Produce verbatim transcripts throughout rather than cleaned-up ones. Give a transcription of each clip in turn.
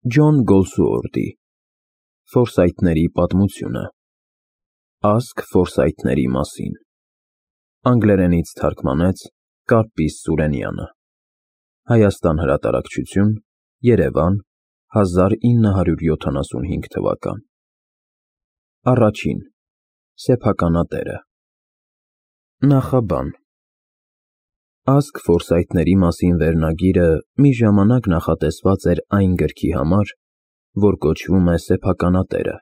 Ջոն Գոլսուորթի Ֆորսայթների պատմությունը Ազգ Ֆորսայթների մասին Անգլերենից թարգմանեց Կարպիս Սուրենյանը Հայաստան հրատարակչություն Երևան հազար ինը հարյուր յոթանասունհինգ թվական Առաջին Սեփականատերը Նախաբան Ազգ Ֆորսայթների մասին վերնագիրը մի ժամանակ նախատեսված էր այն գրքի համար, որ կոչվում է Սեփականատերը,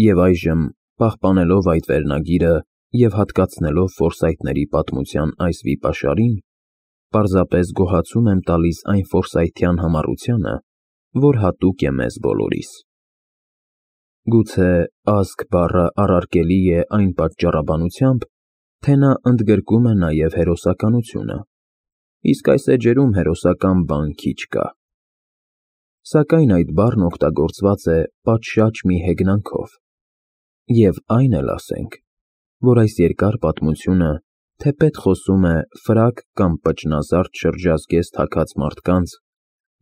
և այժմ, պահպանելով այդ վերնագիրը և հատկացնելով Ֆորսայթների պատմության այս վիպաշարին, պարզապես գոհացում եմ տալիս այն ֆորսայթյան համառությանը, որ հատուկ է մեզ բոլորիս։ Գուցե ազգ բառը առարկելի է այն պատճառաբանությամբ, թե նա ընդգրկում է նաև հերոսականությունը, իսկ այս էջերում հերոսական բան քիչ կա։ Սակայն այդ բառն օգտագործված է պատշաճ մի հեգնանքով, և այն էլ ասենք, որ այս երկար պատմությունը թեպետ խոսում է ֆրակ կամ պճնազարդ շրջազգեստ հագած մարդկանց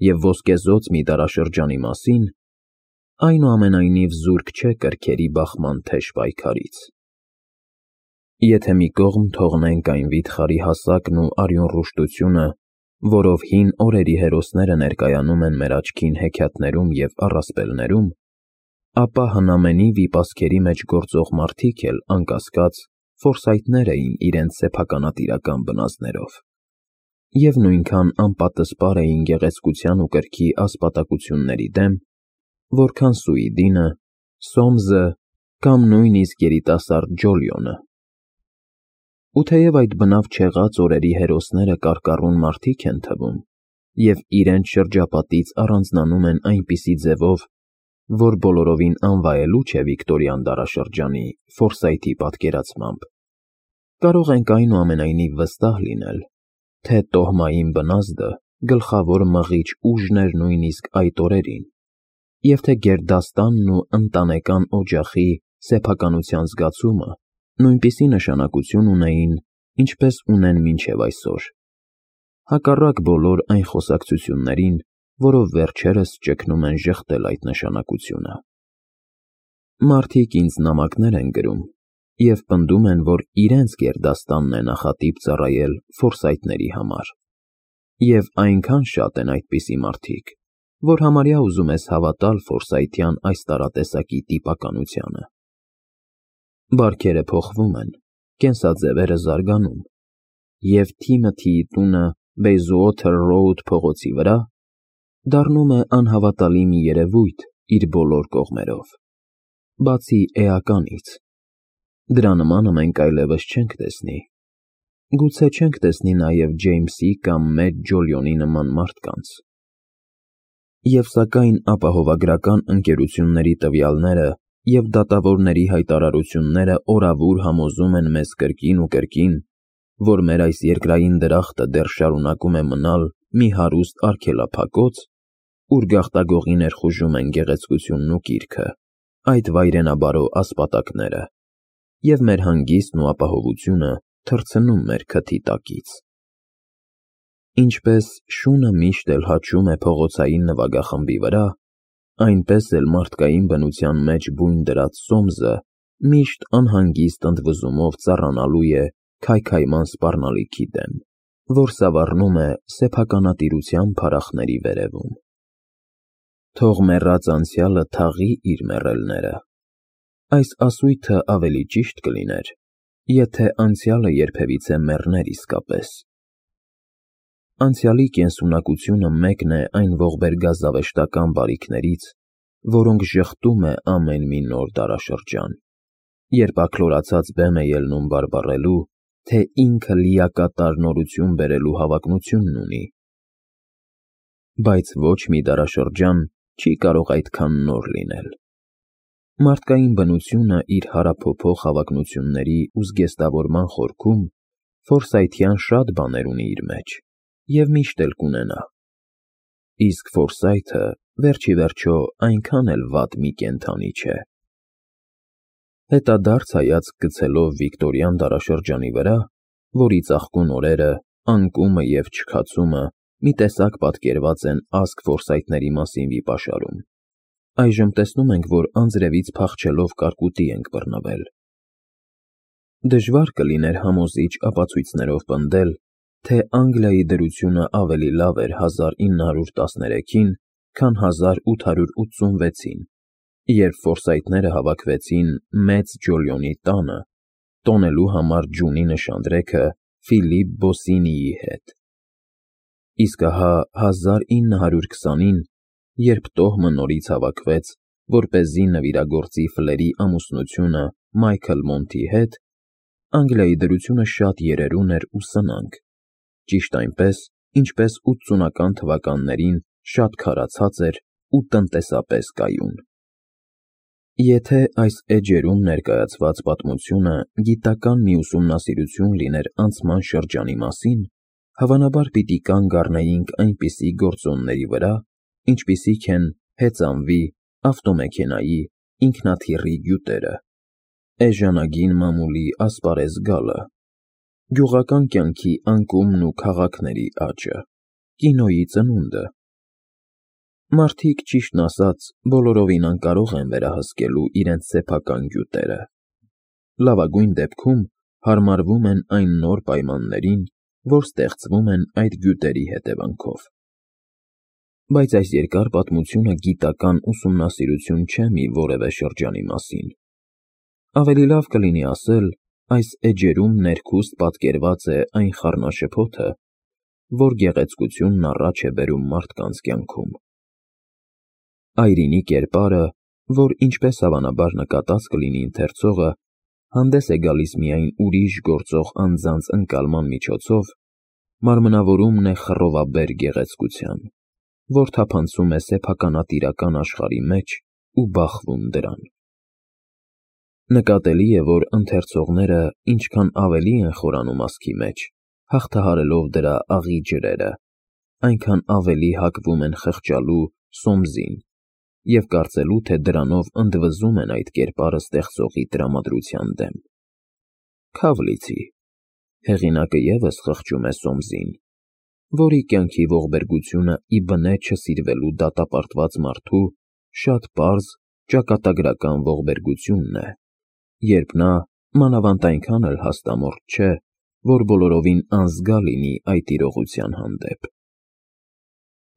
և ոսկեզօծ մի դարաշրջանի մասին, այնուամենայնիվ զուրկ չէ կրքերի բախման թեժ պայքարից։ Եթե մի կողմ թողնենք այն վիթխարի հասակն ու արյունռուշտությունը, որով հին օրերի հերոսները ներկայանում են մեր աչքին հեքիաթներում և առասպելներում, ապա հնամենի վիպասքերի մեջ գործող մարդիկ էլ, անկասկած, ֆորսայթներ էին իրենց սեփականատիրական բնազդներով, և նույնքան անպատսպար էին գեղեցկության ու կրքի ասպատակությունների դեմ, որքան Սուիդինը, Սոմսը կամ նույնիսկ երիտասարդ Ջոլիոնը։ Ու թեև այդ բնավ չեղած օրերի հերոսները կարկառուն մարդիկ են թվում և իրենց շրջապատից առանձնանում են այնպիսի ձևով, որ բոլորովին անվայելու չէ վիկտորյան դարաշրջանի Ֆորսայթի պատկերացմամբ, կարող ենք այնուամենայնիվ վստահ լինել, թե տոհմային բնազդը գլխավոր մղիչ ուժն էր նույնիսկ այդ օրերին, և թե գերդաստանն ու ընտանեկան օջախի սեփականության զգացումը նույնպիսի նշանակություն ունեին, ինչպես ունեն մինչև այսօր, հակառակ բոլոր այն խոսակցություններին, որով վերջերս ճգնում են ժխտել այդ նշանակությունը։ Մարդիկ ինձ նամակներ են գրում և պնդում են, որ իրենց գերդաստանն է նախատիպ ծառայել ֆորսայթների համար, և այնքան շատ են այդպիսի մարդիկ, որ համարյա ուզում ես հավատալ ֆորսայթյան այս տարատեսակի տիպականությանը։ Բարքերը փոխվում են, կենսաձևերը զարգանում, և Թիմոթիի տունը Բեյզուոթեր Ռոուդ փողոցի վրա դառնում է անհավատալի մի երևույթ իր բոլոր կողմերով, բացի էականից։ Դրա նմանը մենք այլևս չենք տեսնի, գուցե չենք տեսնի նաև Ջեյմսի կամ մեծ Ջոլիոնի նման մարդկանց։ Եվ սակայն ապահովագրական ընկերությունների տվյալները և դատավորների հայտարարությունները օրավուր համոզում են մեզ կրկին ու կրկին, որ մեր այս երկրային դրախտը դեռ շարունակում է մնալ մի հարուստ արգելափակոց, ուր գաղտագողի ներխուժում են գեղեցկությունն ու կիրքը, այդ վայրենաբարո ասպատակները, և մեր հանգիստն ու ապահովությունը թռցնում մեր քթի տակից։ Ինչպես շունը միշտ էլ հաչում է փողոցային նվագախմբի վրա, այնպես էլ մարդկային բնության մեջ բույն դրած Սոմսը միշտ անհանգիստ ընդվզումով ծառանալու է քայքայման սպառնալիքի դեմ, որ սավառնում է սեփականատիրության փարախների վերևում։ Թող մեռած անցյալը թաղի իր մեռելները։ Այս ասույթը ավելի ճիշտ կլիներ, եթե անցյալը երբևիցե մեռներ իսկապես։ Անցյալի կենսունակությունը մեկն է այն ողբերգազավեշտական բարիքներից, որոնք ժխտում է ամեն մի նոր դարաշրջան, երբ աքլորացած բեմ է ելնում բարբառելու, թե ինքը լիակատար նորություն բերելու հավակնությունն ունի։ Բայց ոչ մի դարաշրջան չի կարող այդքան նոր լինել։ Մարդկային բնությունը իր հարափոփող հավակնությունների ու զգեստավորման խորքում ֆորսայթյան շատ բաներ ունի իր մեջ և միշտ էլ կունենա։ Իսկ Ֆորսայթը վերջիվերջո այնքան էլ վատ մի կենդանի չէ։ Հետադարձ հայացք գցելով վիկտորյան դարաշրջանի վրա, որի ծաղկուն օրերը, անկումը և չքացումը մի տեսակ պատկերված են ազգ ֆորսայթների մասին վիպաշարում։ Այժմ տեսնում ենք, որ անձրևից փախչելով կարկուտի ենք բռնվել։ Դժվար կլիներ համոզիչ ապացույցներով պնդել, թե Անգլիայի դրությունը ավելի լավ էր հազար ինը հարյուր տասներեքին, քան հազար ութ հարյուր ութսունվեցին, երբ ֆորսայթները հավաքվեցին Մեծ Ջոլիոնի տանը, տոնելու համար ջունի նշանдрեքը Ֆիլիպ Բոսինիի հետ։ Իսկ ահա հազար ինը հարյուր քսանին, երբ տոհմը նորից հավաքվեց, որպեսզի նվիրագործի Ֆլերի ամուսնությունը Մայքլ Մոնթի հետ, Անգլիայի դրությունը շատ երերուն էր ու սնանկ, ճիշտ այնպես, ինչպես ութսունական թվականներին շատ քարացած էր ու տնտեսապես կայուն։ Եթե այս էջերում ներկայացված պատմությունը գիտական մի ուսումնասիրություն լիներ անցման շրջանի մասին, հավանաբար պիտի կանգ առնեինք այնպիսի գործոնների վրա, ինչպիսիք են հեծանվի, ավտոմեքենայի, ինքնաթիռի գյուտերը, էժանագին մամուլի ասպարեզ գալը, գյուղական կյանքի անկումն ու քաղաքների աճը, կինոյի ծնունդը։ Մարդիկ, ճիշտն ասած, բոլորովին անկարող են վերահսկելու իրենց սեփական գյուտերը։ Լավագույն դեպքում հարմարվում են այն նոր պայմաններին, որ ստեղծվում են այդ գյուտերի հետևանքով։ Բայց այս երկար պատմությունը գիտական ուսումնասիրություն չէ մի որևէ շրջանի մասին։ Ավելի լավ կլինի ասել, այս էջերում ներքուստ պատկերված է այն խառնաշփոթը, որ գեղեցկությունն առաջ է բերում մարդկանց կյանքում։ Այրինի կերպարը, որ ինչպես հավանաբար նկատած կլինի ընթերցողը, հանդես է գալիս միայն ուրիշ գործող անձանց ընկալման միջոցով, մարմնավորումն է խռովաբեր գեղեցկության, որ թափանցում է սեփականատիրական աշխարհի մեջ ու բախվում դրան։ Նկատելի է, որ ընթերցողները ինչքան ավելի են խորանում ասքի մեջ, հաղթահարելով դրա աղի ջրերը, այնքան ավելի հակվում են խղճալու Սոմսին և կարծելու, թե դրանով ընդվզում են այդ կերպարը ստեղծողի տրամադրության դեմ։ Քավ լիցի, հեղինակը ևս խղճում է Սոմսին, որի կյանքի ողբերգությունը ի բնե չսիրվելու դատապարտված մարդու շատ պարզ, ճակատագրական ողբերգությունն է, երբ նա մանավանդ այնքան էլ հաստամորդ չէ, որ բոլորովին անզգա լինի այդ իրողության հանդեպ։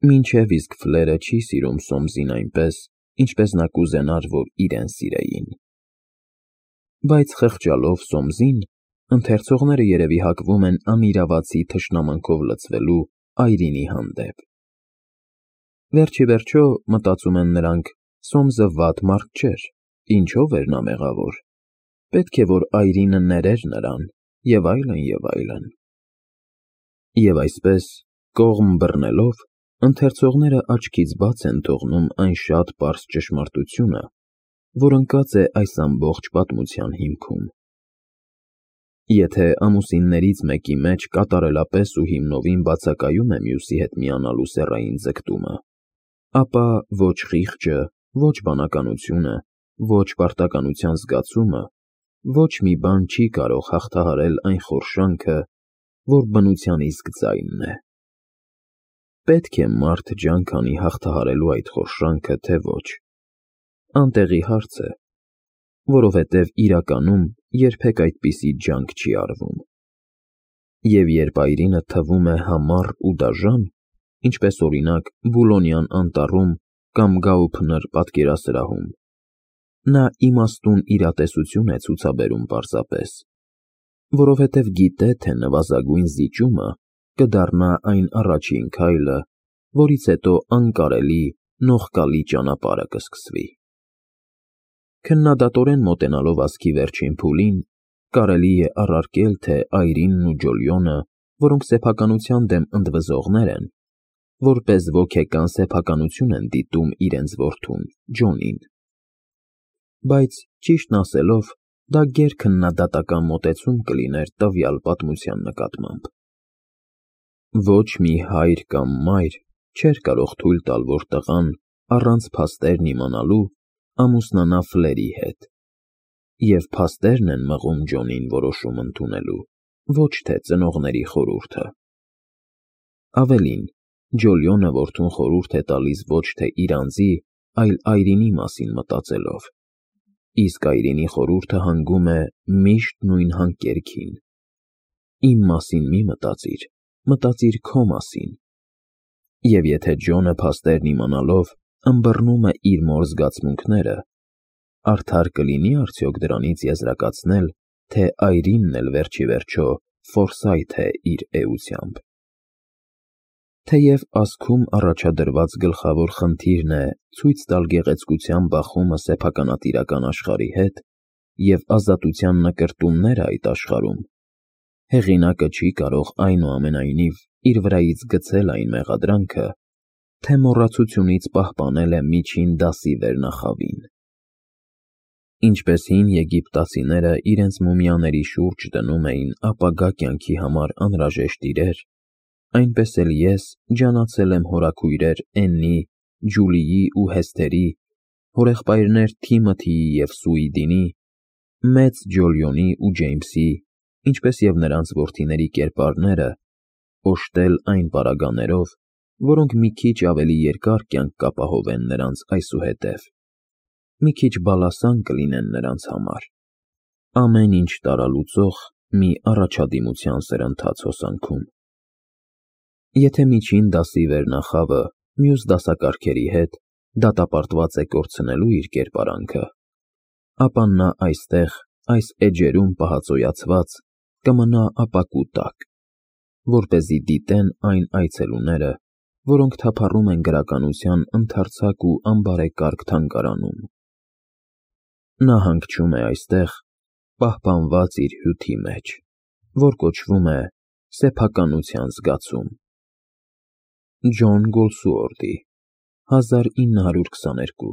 Մինչև իսկ Ֆլերը չի սիրում Սոմսին այնպես, ինչպես նա կուզենար, որ իրեն սիրեին։ Բայց խղճալով Սոմսին, ընթերցողները երևի հակվում են անիրավացի թշնամանքով լցվելու Այրինի հանդեպ։ Վերջիվերջո, մտածում են նրանք, Սոմսը վատ մարդ չէր, ինչով էր նա մեղավոր, պետք է որ Այրինը ներեր նրան, և այլն, և այլն։ Եվ այսպես, կողմ բռնելով, ընթերցողները աչքից բաց են թողնում այն շատ պարզ ճշմարտությունը, որ ընկած է այս ամբողջ պատմության հիմքում։ Եթե ամուսիններից մեկի մեջ կատարելապես ու հիմնովին բացակայում է մյուսի հետ միանալու սեռային ձգտումը, ապա ոչ խիղճը, ոչ բանականությունը, ոչ պարտականության զգացումը, ոչ մի բան չի կարող հաղթահարել այն խորշանքը, որ բնության իսկ ձայնն է։ Պետք է մարդ ջանք անի հաղթահարելու այդ խորշանքը, թե ոչ։ Անտեղի հարց է, որովհետև իրականում երբեք այդպիսի ջանք չի արվում։ Եվ երբ Այրինը թվում է համառ ու դաժան, ինչպես օրինակ Բուլոնյան անտառում կամ Գաուփնր պատկերասրահում, նա իմաստուն իրատեսություն է ցուցաբերում պարզապես, որովհետև գիտե, թե նվազագույն զիջումը կդառնա այն առաջին քայլը, որից հետո անկարելի, նողկալի ճանապարհը կսկսվի։ Քննադատորեն մոտենալով ասքի վերջին փուլին, կարելի է առարկել, թե Այրինն ու Ջոլիոնը, որոնք սեփականության դեմ ընդվզողներ են, որպես ոգեկան սեփականություն են դիտում իրենց որդուն՝ Ջոնին։ Բայց, ճիշտն ասելով, դա գերքննադատական մոտեցում կլիներ տվյալ պատմության նկատմամբ։ Ոչ մի հայր կամ մայր չէր կարող թույլ տալ, որ տղան, առանց փաստերն իմանալու, ամուսնանա Ֆլերի հետ, և փաստերն են մղում Ջոնին որոշում ընդունելու, ոչ թե ծնողների խորհուրդը։ Ավելին, Ջոլիոնը որդուն խորհուրդ է տալիս ոչ թե իր անձի, այլ Այրինի մասին մտածելով, իսկ Այրինի խորհուրդը հանգում է միշտ նույն հանկերքին. «Իմ մասին մի մտածիր, մտածիր քո մասին»։ Եվ եթե Ջոնը փաստերն իմանալով ըմբռնում է իր մոր զգացմունքները, արդար կլինի՞ արդյոք դրանից եզրակացնել, թե Այրինն էլ վերջիվերջո Ֆորսայթ է իր էությամբ։ Թեև ազգում առաջադրված գլխավոր խնդիրն է ցույց տալ գեղեցկության բախումը սեփականատիրական աշխարհի հետ և ազատության նկրտումները այդ աշխարհում, հեղինակը չի կարող այնուամենայնիվ իր վրայից գցել այն մեղադրանքը, թե մոռացությունից պահպանել է միջին դասի վերնախավին։ Ինչպես հին եգիպտացիները իրենց մումիաների շուրջ դնում էին ապագա կյանքի համար անհրաժեշտ իրեր, այնպես էլ ես ջանացել եմ հորաքույրեր Էննի, Ջուլիի ու Հեսթերի, հորեղբայրներ Թիմոթիի և Սուիդինի, մեծ Ջոլիոնի ու Ջեյմսի, ինչպես և նրանց որդիների կերպարները, օժտել այն պարագաներով, որոնք մի քիչ ավելի երկար կյանք կապահովեն նրանց այսուհետև, մի քիչ բալասան կլինեն նրանց համար, ամեն ինչ տարալուծող մի առաջադիմության սրընթաց հոսանքում։ Եթե միջին դասի վերնախավը մյուս դասակարգերի հետ դատապարտված է կորցնելու իր կերպարանքը, ապա նա այստեղ, այս էջերում պահածոյացված, կմնա ապակու տակ, որպեսզի դիտեն այն այցելուները, որոնք թափառում են գրականության ընդարձակ ու անբարեկարգ թանգարանում։ Նա հանգչում է այստեղ, պահպանված իր հյութի մեջ, որ կոչվում է սեփականության զգացում։ Ջոն Գոլսուորթի հազար ինը հարյուր քսաներկու